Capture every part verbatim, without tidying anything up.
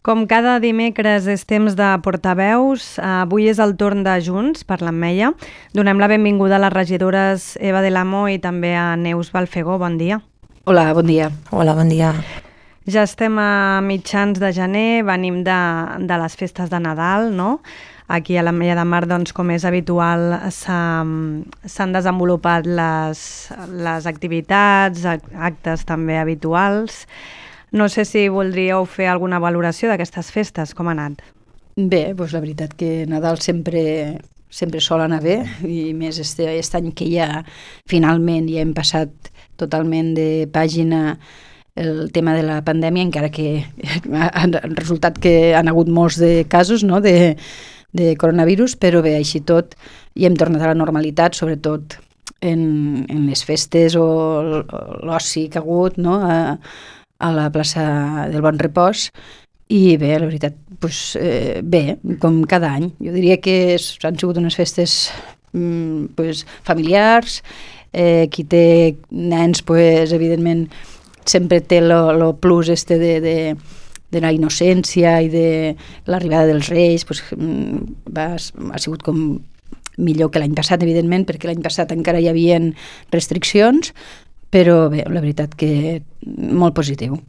Com cada dimecres és temps de portaveus, avui és el torn de Junts per l'Ametlla. Donem la benvinguda a les regidores Eva de l'Amo i també a Neus Balfegó. Bon dia. Hola, bon dia. Hola, bon dia. Ja estem a mitjans de gener, venim de, de les festes de Nadal, no? Aquí a l'Ametlla de Mar, doncs, com és habitual, s'han desenvolupat les, les activitats, actes també habituals. No sé si voldríeu fer alguna valoració d'aquestes festes, com ha anat? Bé, doncs la veritat que Nadal sempre, sempre sol anar bé, i més este, este any que ja finalment ja hem passat totalment de pàgina el tema de la pandèmia, encara que ha resultat que han hagut molts de casos, no?, de, de coronavirus, però bé, així tot, i hem tornat a la normalitat, sobretot en, en les festes o l'oci que ha hagut, no?, a, a la plaça del Bon Repòs, i bé, la veritat, doncs, eh, bé, com cada any. Jo diria que és, han sigut unes festes mm, pues, familiars, eh, qui té nens, pues, evidentment, sempre té lo plus este de, de, de la innocència i de l'arribada dels Reis, pues, va, ha sigut com millor que l'any passat, evidentment, perquè l'any passat encara hi havia restriccions, però bé, la veritat que molt positiu.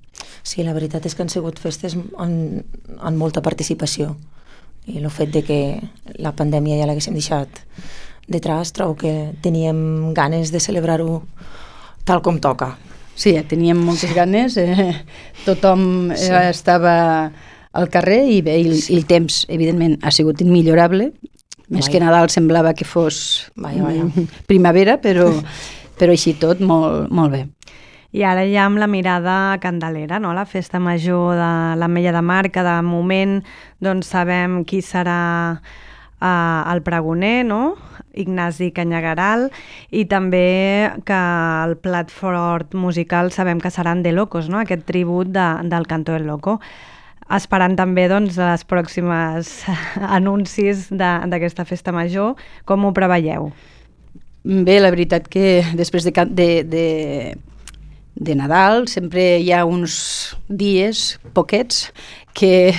Sí, la veritat és que han sigut festes amb, amb molta participació, i el fet de que la pandèmia ja l'haguéssim deixat detrás, trobo que teníem ganes de celebrar-ho tal com toca. Sí, teníem moltes ganes, eh, tothom eh, sí. estava al carrer i bé, i, sí. i el temps, evidentment, ha sigut immillorable. Més vaja. Que Nadal semblava que fos vaja, vaja. primavera, però, però així tot molt, molt bé. I ara ja amb la mirada candelera, no? La festa major de l'Ametlla de Mar, que de moment doncs, sabem qui serà eh, el pregoner, no? Ignasi Canyagueral, i també que el plat fort musical sabem que seran De Locos, no? Aquest tribut de, del Canto del Loco. Esperant també doncs, les pròximes anuncis d'aquesta festa major, com ho preveieu? Bé, la veritat que després de, de, de, de Nadal sempre hi ha uns dies, poquets, que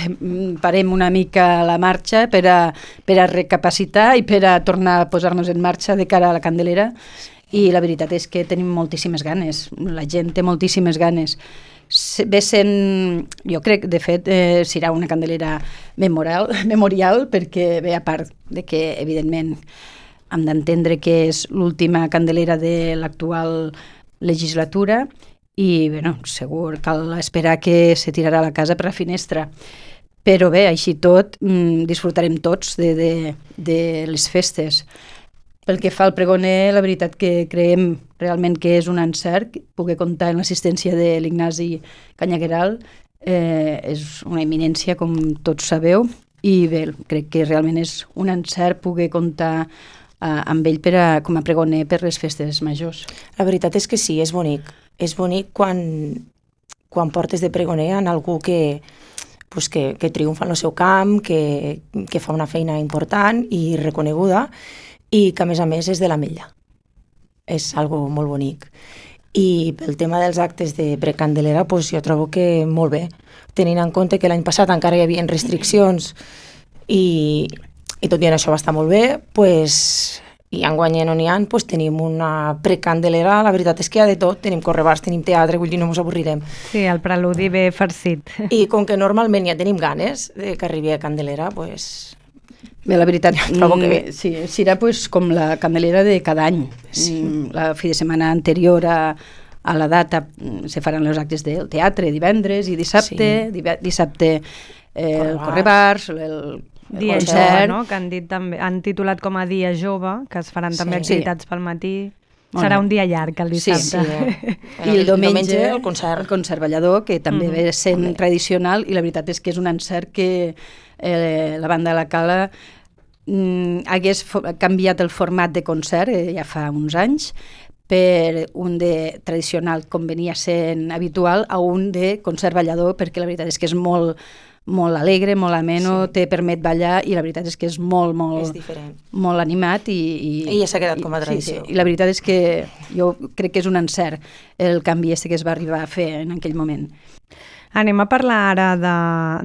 parem una mica la marxa per a, per a recapacitar i per a tornar a posar-nos en marxa de cara a la Candelera, i la veritat és que tenim moltíssimes ganes, la gent té moltíssimes ganes. Ve sent, jo crec, de fet, eh, serà una Candelera memorial, memorial perquè ve a part de que, evidentment, hem d'entendre que és l'última Candelera de l'actual legislatura, i bueno, segur cal esperar que se tirarà la casa per la finestra, però bé, així tot mmm, disfrutarem tots de, de, de les festes. Pel que fa al pregoner, la veritat que creiem realment que és un encert poder comptar amb l'assistència de l'Ignasi Canyagueral, eh, és una eminència, com tots sabeu, i bé, crec que realment és un encert poder comptar eh, amb ell per a, com a pregoner per les festes majors. La veritat és que sí, és bonic. És bonic quan, quan portes de pregoner en algú que, pues que, que triomfa en el seu camp, que, que fa una feina important i reconeguda, i que a més a més és de l'Ametlla. És algo molt bonic. I pel tema dels actes de precandelera, pues jo trobo que molt bé, tenint en compte que l'any passat encara hi havia restriccions i, i tot i això va estar molt bé, pues, i enguany no n'hi ha, pues tenim una precandelera, la veritat és que hi ha de tot, tenim correbars, tenim teatre, vull dir, no ens avorrirem. Sí, el preludi ve farcit. I com que normalment ja tenim ganes de que arribi a Candelera, pues... Bé, la veritat, trobo que bé. Sí, serà pues, com la Candelera de cada any. Sí. La fi de setmana anterior a, a la data se faran els actes del teatre divendres i dissabte, sí. dissabte eh, el correbars, el Dia Jove, no? Que han, dit també, han titulat com a Dia Jove, que es faran també sí. activitats pel matí. Bueno, serà un dia llarg, el dissabte. Sí, sí. I el diumenge, el concert. El concert ballador, que també mm. ve sent mm. tradicional, i la veritat és que és un encert que eh, la banda de la Cala mm, hagués canviat el format de concert eh, ja fa uns anys, per un de tradicional, com venia sent habitual, a un de concert ballador, perquè la veritat és que és molt molt alegre, molt ameno, sí. te permet ballar, i la veritat és que és molt, molt, molt animat. I, i, I ja s'ha quedat com a tradició. Sí, sí. I la veritat és que jo crec que és un encert el canvi este que es va arribar a fer en aquell moment. Anem a parlar ara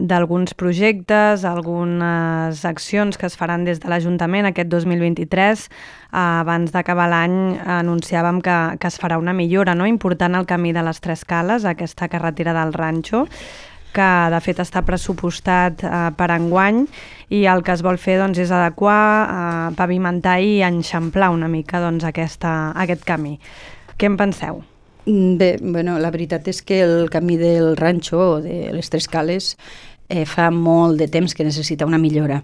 d'alguns projectes, algunes accions que es faran des de l'Ajuntament aquest dos mil vint-i-tres. Abans d'acabar l'any anunciàvem que, que es farà una millora, no?, important al camí de les Tres Cales, aquesta carretera del Ranxo, que de fet està pressupostat eh, per enguany, i el que es vol fer doncs, és adequar, eh, pavimentar i enxamplar una mica doncs, aquesta, aquest camí. Què en penseu? Bé, bueno, la veritat és que el camí del Ranxo o de les Tres Cales eh, fa molt de temps que necessita una millora.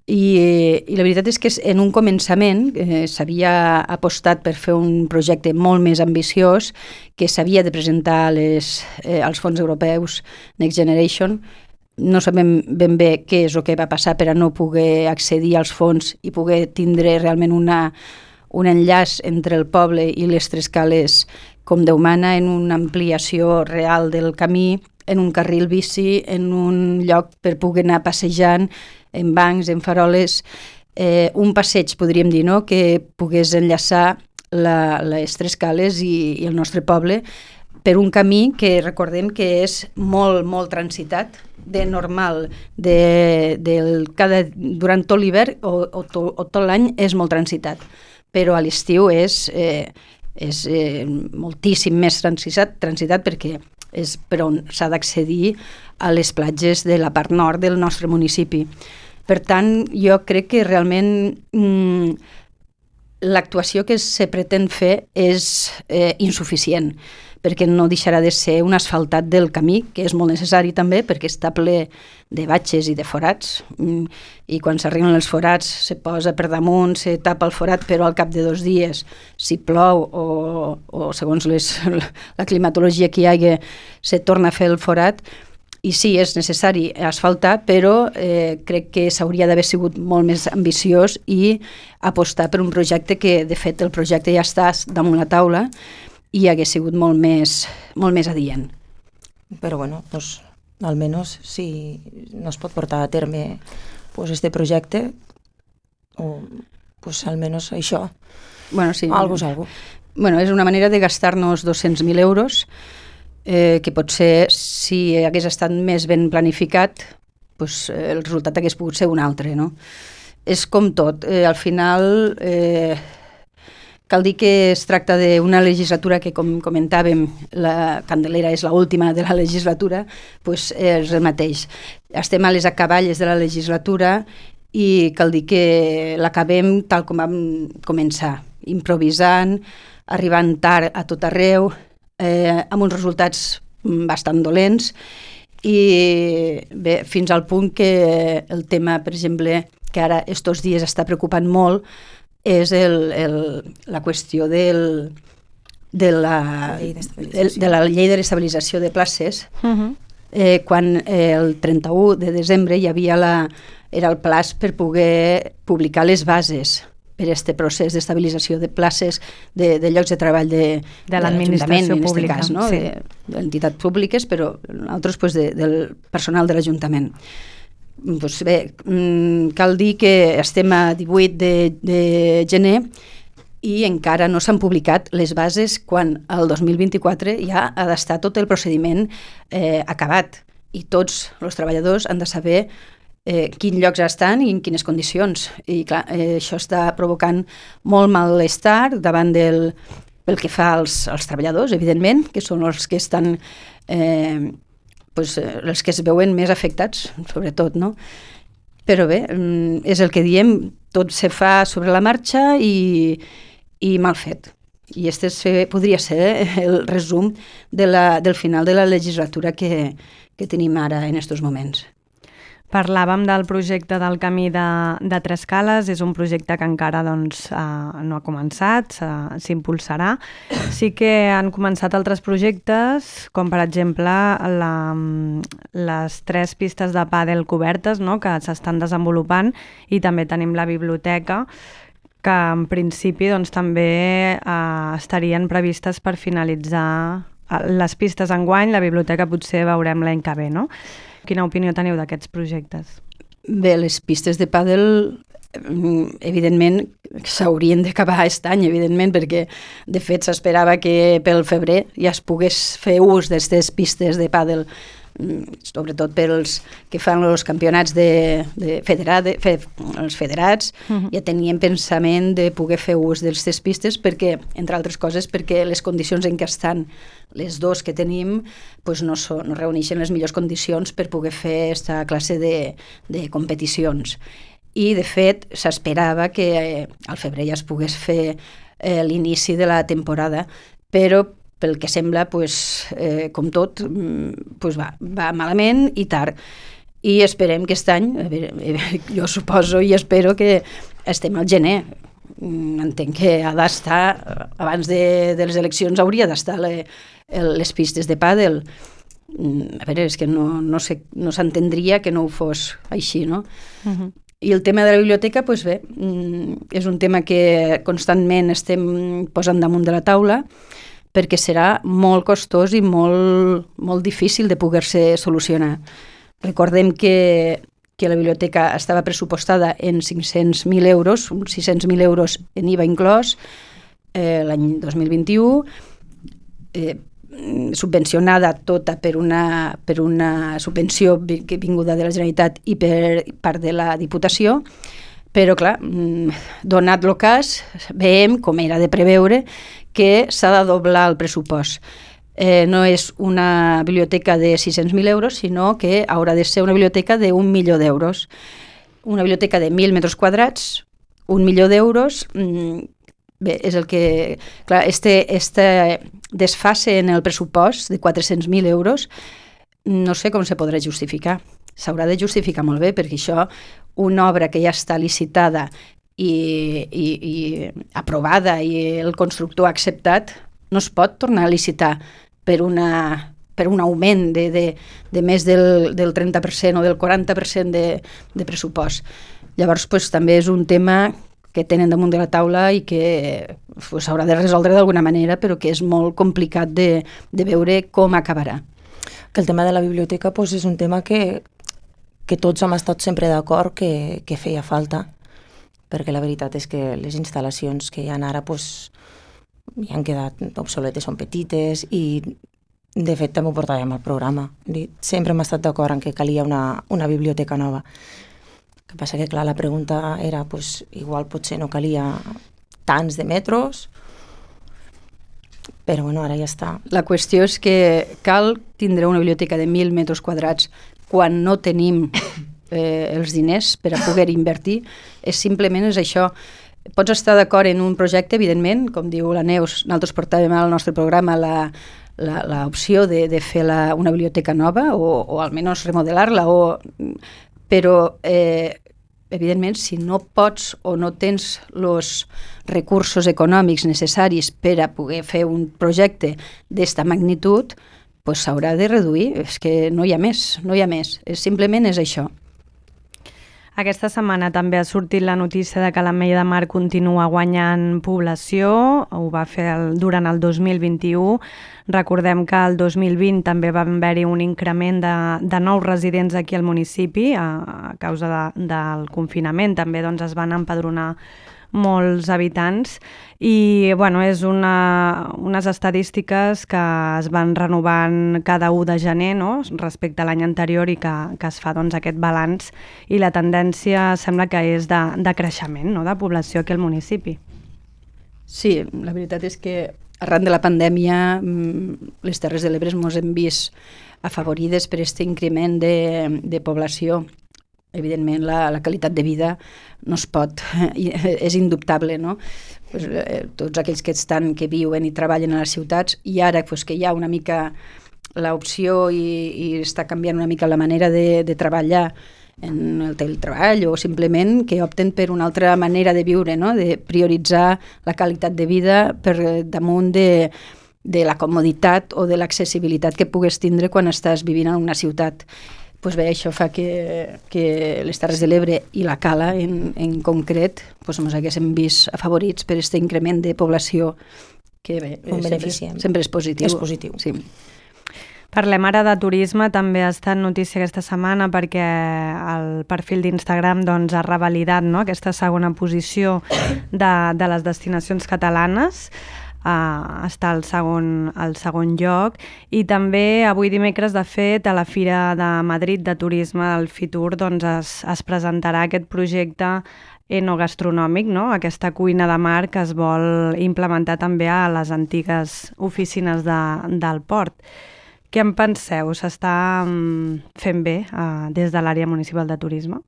I, eh, i la veritat és que en un començament eh, s'havia apostat per fer un projecte molt més ambiciós que s'havia de presentar les, eh, als fons europeus Next Generation. No sabem ben bé què és el que va passar per a no poder accedir als fons i poder tindre realment una, un enllaç entre el poble i les Tres Cales com Déu mana, en una ampliació real del camí, en un carril bici, en un lloc per poder anar passejant, en bancs, en faroles, eh, un passeig, podríem dir, no?, que pogués enllaçar la, les Tres Cales i, i el nostre poble per un camí que recordem que és molt, molt transitat, de normal, de, del, cada, durant tot l'hivern o, o, to, o tot l'any és molt transitat, però a l'estiu és... Eh, és eh, moltíssim més transitat, transitat perquè és per on s'ha d'accedir a les platges de la part nord del nostre municipi. Per tant, jo crec que realment mm, l'actuació que se pretén fer és eh, insuficient, perquè no deixarà de ser un asfaltat del camí, que és molt necessari també, perquè està ple de batxes i de forats, i quan s'arriben els forats se posa per damunt, se tapa el forat, però al cap de dos dies, si plou o, o segons les, la climatologia que hi hagi, se torna a fer el forat. I sí, és necessari asfaltar, però eh, crec que s'hauria d'haver sigut molt més ambiciós i apostar per un projecte que, de fet, el projecte ja està damunt la taula, i hagués sigut molt més, molt més adient. Però bueno, pues, almenys si no es pot portar a terme pues, este projecte, o pues, almenys això, bueno, sí. algo és algo. Bueno, és una manera de gastar-nos dos-cents mil euros, eh, que potser si hagués estat més ben planificat, pues, el resultat hagués pogut ser un altre, no? És com tot, eh, al final... Eh, Cal dir que es tracta d'una legislatura que, com comentàvem, la Candelera és l'última de la legislatura, doncs és el mateix. Estem a les acaballes de la legislatura i cal dir que l'acabem tal com vam començar, improvisant, arribant tard a tot arreu, eh, amb uns resultats bastant dolents, i bé, fins al punt que el tema, per exemple, que ara estos dies està preocupant molt, és el, el, la qüestió del, de, la, de, de la llei de l'estabilització de places, uh-huh. eh, quan eh, el trenta-u de desembre hi havia la, era el plaç per poder publicar les bases per aquest procés d'estabilització de places de, de llocs de treball de, de l'administració de pública, cas, no? Sí. D'entitats públiques, però altres pues, de, del personal de l'Ajuntament. Pues bé, cal dir que estem a divuit de, de gener i encara no s'han publicat les bases quan el dos mil vint-i-quatre ja ha d'estar tot el procediment eh, acabat i tots els treballadors han de saber eh, quins llocs estan i en quines condicions. I clar, eh, això està provocant molt malestar davant del, pel que fa als, als treballadors, evidentment, que són els que estan... Eh, pues, els que es veuen més afectats, sobretot, no? Però bé, és el que diem, tot se fa sobre la marxa i, i mal fet. I este podria ser el resum de la, del final de la legislatura que, que tenim ara en aquests moments. Parlàvem del projecte del camí de, de Tres Cales, és un projecte que encara doncs, eh, no ha començat, s'impulsarà. Sí que han començat altres projectes, com per exemple la, les tres pistes de pàdel cobertes, no?, que s'estan desenvolupant, i també tenim la biblioteca, que en principi doncs, també eh, estarien previstes per finalitzar les pistes enguany. La biblioteca potser veurem l'any que ve, no? Quina opinió teniu d'aquests projectes? Bé, les pistes de pàdel evidentment s'haurien d'acabar aquest any, evidentment, perquè de fet s'esperava que pel febrer ja es pogués fer ús d'aquestes pistes de pàdel, sobretot pels que fan els campionats de, de federat, fe, els federats, uh-huh. ja tenien pensament de poder fer ús d'aquestes pistes perquè, entre altres coses, perquè les condicions en què estan les dos que tenim pues no, so, no reuneixen les millors condicions per poder fer aquesta classe de, de competicions. I, de fet, s'esperava que eh, al febrer ja es pogués fer eh, l'inici de la temporada, però pel que sembla, pues, eh, com tot, pues va, va malament i tard. I esperem que aquest any, a veure, jo suposo i espero que estem al gener. Entenc que ha d'estar, abans de, de les eleccions hauria d'estar le, les pistes de pàdel. A veure, és que no, no, sé, no s'entendria que no ho fos així, no? Uh-huh. I el tema de la biblioteca, doncs bé, és un tema que constantment estem posant damunt de la taula perquè serà molt costós i molt, molt difícil de poder-se solucionar. Recordem que, que la biblioteca estava pressupostada en cinc-cents mil euros, uns sis-cents mil euros en I V A inclòs, eh, l'any dos mil vint-i-u, eh, subvencionada tota per una, per una subvenció que vinguda de la Generalitat i per part de la Diputació, però clar, donat el cas, veiem, com era de preveure, que s'ha de doblar el pressupost. Eh, no és una biblioteca de sis-cents mil euros, sinó que haurà de ser una biblioteca d'un milió d'euros. Una biblioteca de mil metres quadrats, un milió d'euros, bé, és el que... Clar, este, este desfase en el pressupost de quatre-cents mil euros no sé com se podrà justificar. S'haurà de justificar molt bé, perquè això, una obra que ja està licitada i, i, i aprovada i el constructor ha acceptat, no es pot tornar a licitar per, una, per un augment de, de, de més del, del trenta per cent o del quaranta per cent de, de pressupost. Llavors, pues, també és un tema que tenen damunt de la taula i que s'haurà pues, de resoldre d'alguna manera, però que és molt complicat de, de veure com acabarà. Que el tema de la biblioteca pues, és un tema que, que tots hem estat sempre d'acord que, que feia falta, perquè la veritat és que les instal·lacions que hi ha ara pues, ja han quedat obsoletes, són petites i de fet també ho portàvem al programa. Sempre hem estat d'acord en que calia una, una biblioteca nova. El que passa que, clar, la pregunta era, pues, igual potser no calia tants de metros, però bueno, ara ja està. La qüestió és que cal tindre una biblioteca de mil metres quadrats quan no tenim eh, els diners per a poder invertir. És simplement és això. Pots estar d'acord en un projecte, evidentment, com diu la Neus, nosaltres portàvem al nostre programa la l'opció de, de fer la, una biblioteca nova o, o almenys remodelar-la, o, però eh, evidentment, si no pots o no tens els recursos econòmics necessaris per a poder fer un projecte d'esta magnitud, pues s'haurà de reduir. És que no hi ha més, no hi ha més. És, simplement és això. Aquesta setmana també ha sortit la notícia de que l'Ametlla de Mar continua guanyant població, ho va fer el, durant el dos mil vint-i-u. Recordem que el dos mil vint també va haver-hi un increment de, de nous residents aquí al municipi a, a causa de, del confinament. També doncs, es van empadronar molts habitants i bueno, és una, unes estadístiques que es van renovant cada u de gener, no? Respecte a l'any anterior i que, que es fa doncs, aquest balanç i la tendència sembla que és de, de creixement, no? De població aquí al municipi. Sí, la veritat és que arran de la pandèmia les Terres de l'Ebre ens hem vist afavorides per aquest increment de, de població. Evidentment, la, la qualitat de vida no es pot, és indubtable, no? Pues, eh, tots aquells que estan, que viuen i treballen a les ciutats, i ara pues, que hi ha una mica l'opció i, i està canviant una mica la manera de, de treballar en el teletreball o simplement que opten per una altra manera de viure, no? De prioritzar la qualitat de vida per damunt de, de la comoditat o de l'accessibilitat que pugues tindre quan estàs vivint en una ciutat. Pues bé, això fa que, que les Terres de l'Ebre i la Cala en, en concret pues, ens haguéssim vist afavorits per aquest increment de població que bé, sempre, sempre és positiu. És positiu. Sí. Parlem ara de turisme, també ha estat notícia aquesta setmana perquè el perfil d'Instagram doncs, ha revalidat, no?, aquesta segona posició de, de les destinacions catalanes. Uh, està al segon, al segon lloc, i també avui dimecres, de fet, a la Fira de Madrid de Turisme del Fitur doncs, es, es presentarà aquest projecte enogastronòmic, no?, aquesta cuina de mar que es vol implementar també a les antigues oficines de, del port. Què en penseu? S'està fent bé uh, des de l'àrea municipal de turisme?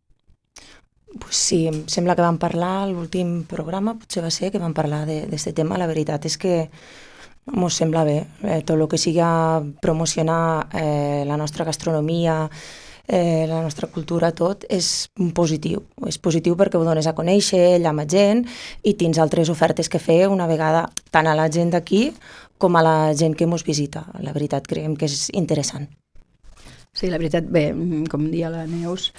Pues sí, em sembla que vam parlar a l'últim programa, potser va ser que vam parlar d'aquest tema. La veritat és que ens sembla bé. Eh, tot el que siga promocionar eh, la nostra gastronomia, eh, la nostra cultura, tot és positiu. És positiu perquè ho dones a conèixer, llama gent, i tens altres ofertes que fer una vegada tant a la gent d'aquí com a la gent que ens visita. La veritat, creiem que és interessant. Sí, la veritat, bé, com dia la Neus,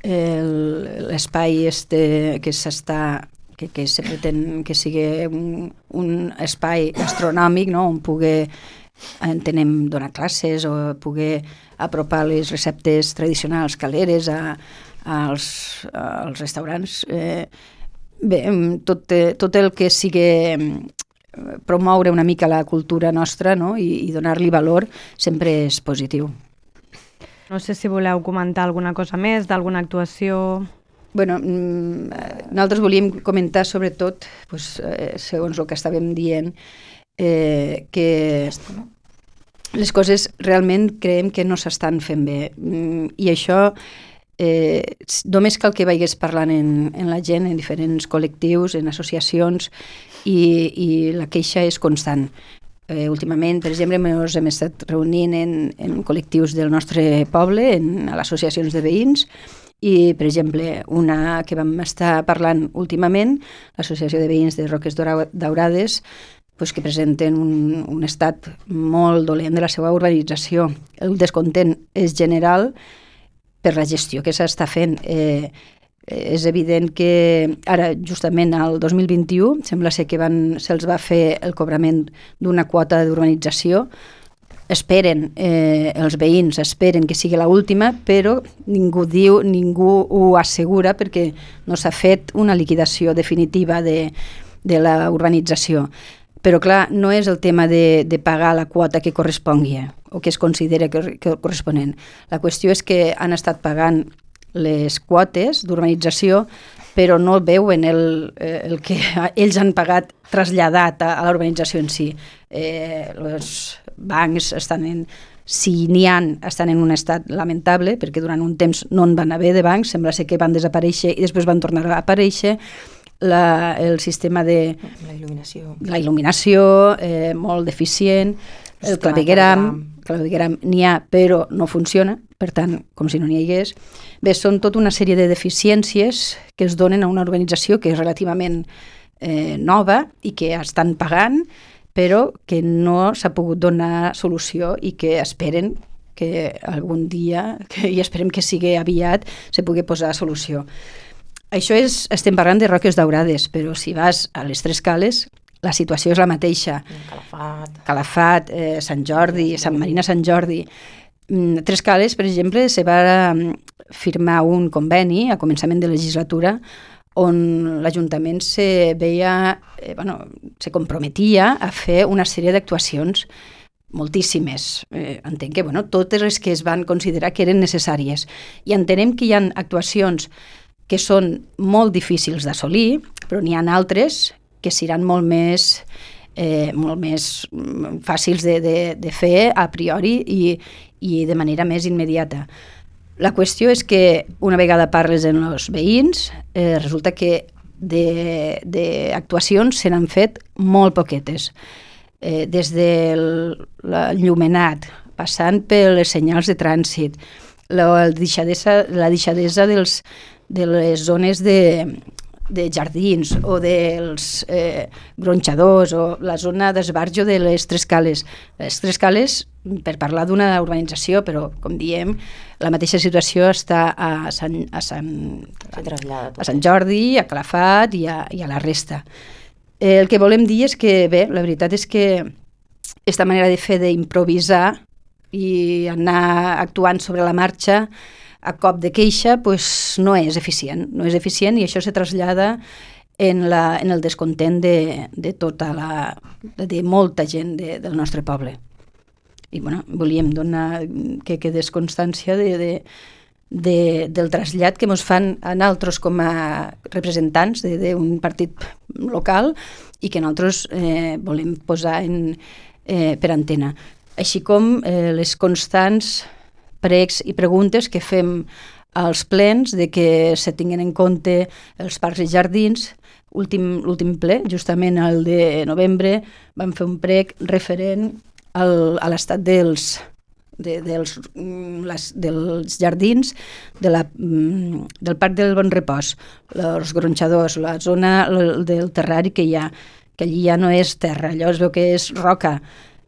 l'espai este que s'està, que, que se pretén que sigui un, un espai gastronòmic, no?, on pugui, entenem, donar classes o pugui apropar les receptes tradicionals caleres a, als, als restaurants. Eh, bé, tot, tot el que sigui promoure una mica la cultura nostra, no?, i, i donar-li valor sempre és positiu. No sé si voleu comentar alguna cosa més d'alguna actuació. Bueno, nosaltres volíem comentar sobretot, pues, eh, segons el que estàvem dient, eh, que les coses realment creiem que no s'estan fent bé. I això eh, només cal que vagis parlant en, en la gent, en diferents col·lectius, en associacions, i, i la queixa és constant. Eh, últimament, per exemple, ens hem estat reunint en, en col·lectius del nostre poble, en, a les associacions de veïns, i, per exemple, una que vam estar parlant últimament, l'Associació de Veïns de Roques Daurades, pues, que presenten un, un estat molt dolent de la seva urbanització. El descontent és general per la gestió que s'està fent. Eh, és evident que ara, justament al dos mil vint-i-u, sembla ser que van, se'ls va fer el cobrament d'una quota d'urbanització. Esperen, eh, els veïns esperen que sigui l'última, però ningú diu, ningú ho assegura perquè no s'ha fet una liquidació definitiva de, de la urbanització. Però clar, no és el tema de, de pagar la quota que correspongui o que es considera que, que corresponent. La qüestió és que han estat pagant les quotes d'urbanització, però no veuen el, el que ells han pagat traslladat a, a l'urbanització en si. Eh, els bancs estan en, si n'hi ha, estan en un estat lamentable, perquè durant un temps no en van haver de bancs, sembla ser que van desaparèixer i després van tornar a aparèixer. La, el sistema de... La il·luminació. La il·luminació, eh, molt deficient, el clavegueram, clavegueram n'hi ha, però no funciona, per tant, com si no n'hi hagués. Bé, són tota una sèrie de deficiències que es donen a una organització que és relativament eh, nova i que estan pagant, però que no s'ha pogut donar solució i que esperen que algun dia, que, i esperem que sigui aviat, se pugui posar solució. Això és, estem parlant de Roques Daurades, però si vas a les Tres Cales, la situació és la mateixa. Calafat. Calafat, eh, Sant Jordi, Sant Marina Sant Jordi. Mm, Tres Cales, per exemple, se va firmar un conveni a començament de legislatura on l'Ajuntament se veia, eh, bueno, se comprometia a fer una sèrie d'actuacions, moltíssimes. Eh, entenc que bueno, totes les que es van considerar que eren necessàries. I entenem que hi ha actuacions que són molt difícils d'assolir, però n'hi ha altres que seran molt més, eh, molt més fàcils de, de, de fer a priori i, i de manera més immediata. La qüestió és que una vegada parles amb els veïns, eh, resulta que d'actuacions se n'han fet molt poquetes. Eh, des de l'enllumenat, passant per les senyals de trànsit, la deixadesa, la deixadesa dels, de les zones de, de jardins o dels eh, gronxadors o la zona d'esbarjo de les Tres Cales. Les Tres Cales, per parlar d'una urbanització, però com diem, la mateixa situació està a Sant, a Sant, a Sant Jordi, a Calafat i a, i a la resta. Eh, el que volem dir és que, bé, la veritat és que aquesta manera de fer d'improvisar i anar actuant sobre la marxa a cop de queixa pues, no és eficient, no és eficient i això se trasllada en, la, en el descontent de, de tota la, de molta gent de, del nostre poble. I bueno, volíem donar que quedés constància de, de, de, del trasllat que ens fan a nosaltres com a representants d'un partit local i que nosaltres eh, volem posar en, eh, per antena. Així com eh, les constants pregs i preguntes que fem als plens de que se tinguin en compte els parcs i jardins. L'últim ple, justament el de novembre, vam fer un prec referent al, a l'estat dels, de, dels, les, dels jardins de la, del Parc del Bon Repòs, els gronxadors, la zona del terrari que hi ha, que allí ja no és terra, allò es veu que és roca.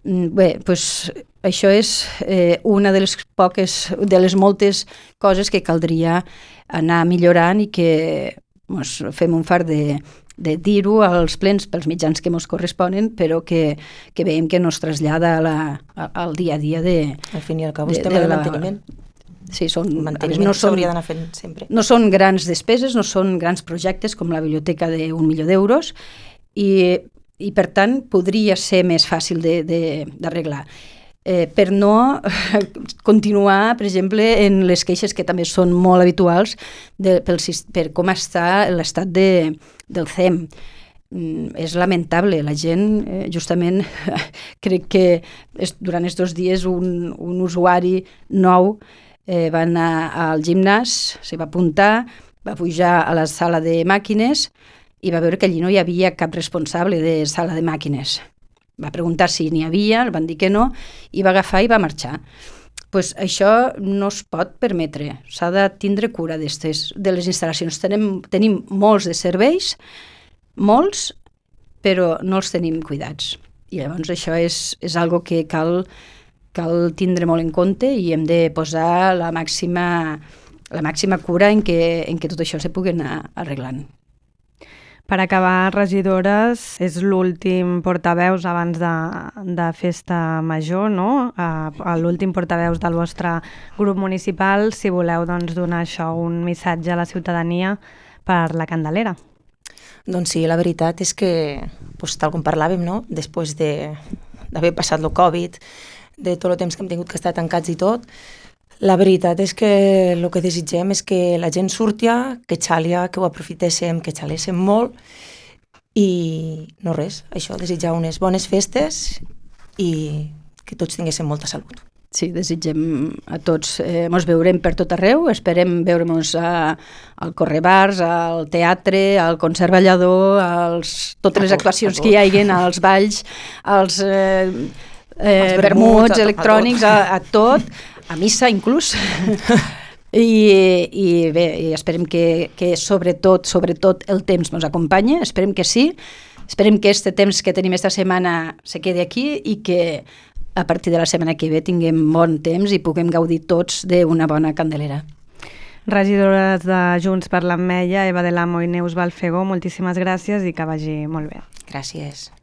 Bé, doncs això és eh, una de les poques, de les moltes coses que caldria anar millorant i que mos fem un fart de, de dir-ho als plens pels mitjans que ens corresponen, però que, que veiem que no es trasllada a la, a, al dia a dia de... Al fin i al cabo, estem en el manteniment. Sí, són, manteniment no són, s'hauria d'anar fent sempre. No són grans despeses, no són grans projectes com la biblioteca d'un milió d'euros i, i per tant podria ser més fàcil d'arreglar. Eh, per no continuar, per exemple, en les queixes que també són molt habituals de, pel, per com està l'estat de, del C E M. Mm, és lamentable, la gent, eh, justament, crec que es, durant aquests dos dies un, un usuari nou eh, va anar al gimnàs, se va apuntar, va pujar a la sala de màquines i va veure que allí no hi havia cap responsable de sala de màquines. Va preguntar si n'hi havia, el van dir que no, i va agafar i va marxar. Pues això no es pot permetre, s'ha de tindre cura d'estes, de les instal·lacions. Tenim, tenim molts de serveis, molts, però no els tenim cuidats. I llavors això és, és algo que cal, cal tindre molt en compte i hem de posar la màxima, la màxima cura en que, en que tot això se pugui anar arreglant. Per acabar, regidores, és l'últim portaveus abans de, de festa major, no? Uh, l'últim portaveus del vostre grup municipal, si voleu doncs, donar això, un missatge a la ciutadania per la Candelera. Doncs sí, la veritat és que, doncs, tal com parlàvem, no? Després d'haver passat el Covid, de tot el temps que hem tingut que estar tancats i tot, la veritat és que el que desitgem és que la gent surtia, que xalia, que ho aprofitéssim, que xaléssim molt i no res, això, desitjar unes bones festes i que tots tinguéssim molta salut. Sí, desitgem a tots, eh, mos veurem per tot arreu, esperem veure-mos al Correbars, al teatre, al Conservallador, als, totes les actuacions que hi haguin, als balls, als eh, eh, vermuts electrònics, a, a tot, a missa inclús. I, i bé, i esperem que, que sobretot, sobretot el temps ens acompanya, esperem que sí, esperem que este temps que tenim esta setmana se quedi aquí i que a partir de la setmana que ve tinguem bon temps i puguem gaudir tots d'una bona Candelera. Regidores de Junts per l'Ametlla, Eva de l'Amo i Neus Balfegó, moltíssimes gràcies i que vagi molt bé. Gràcies.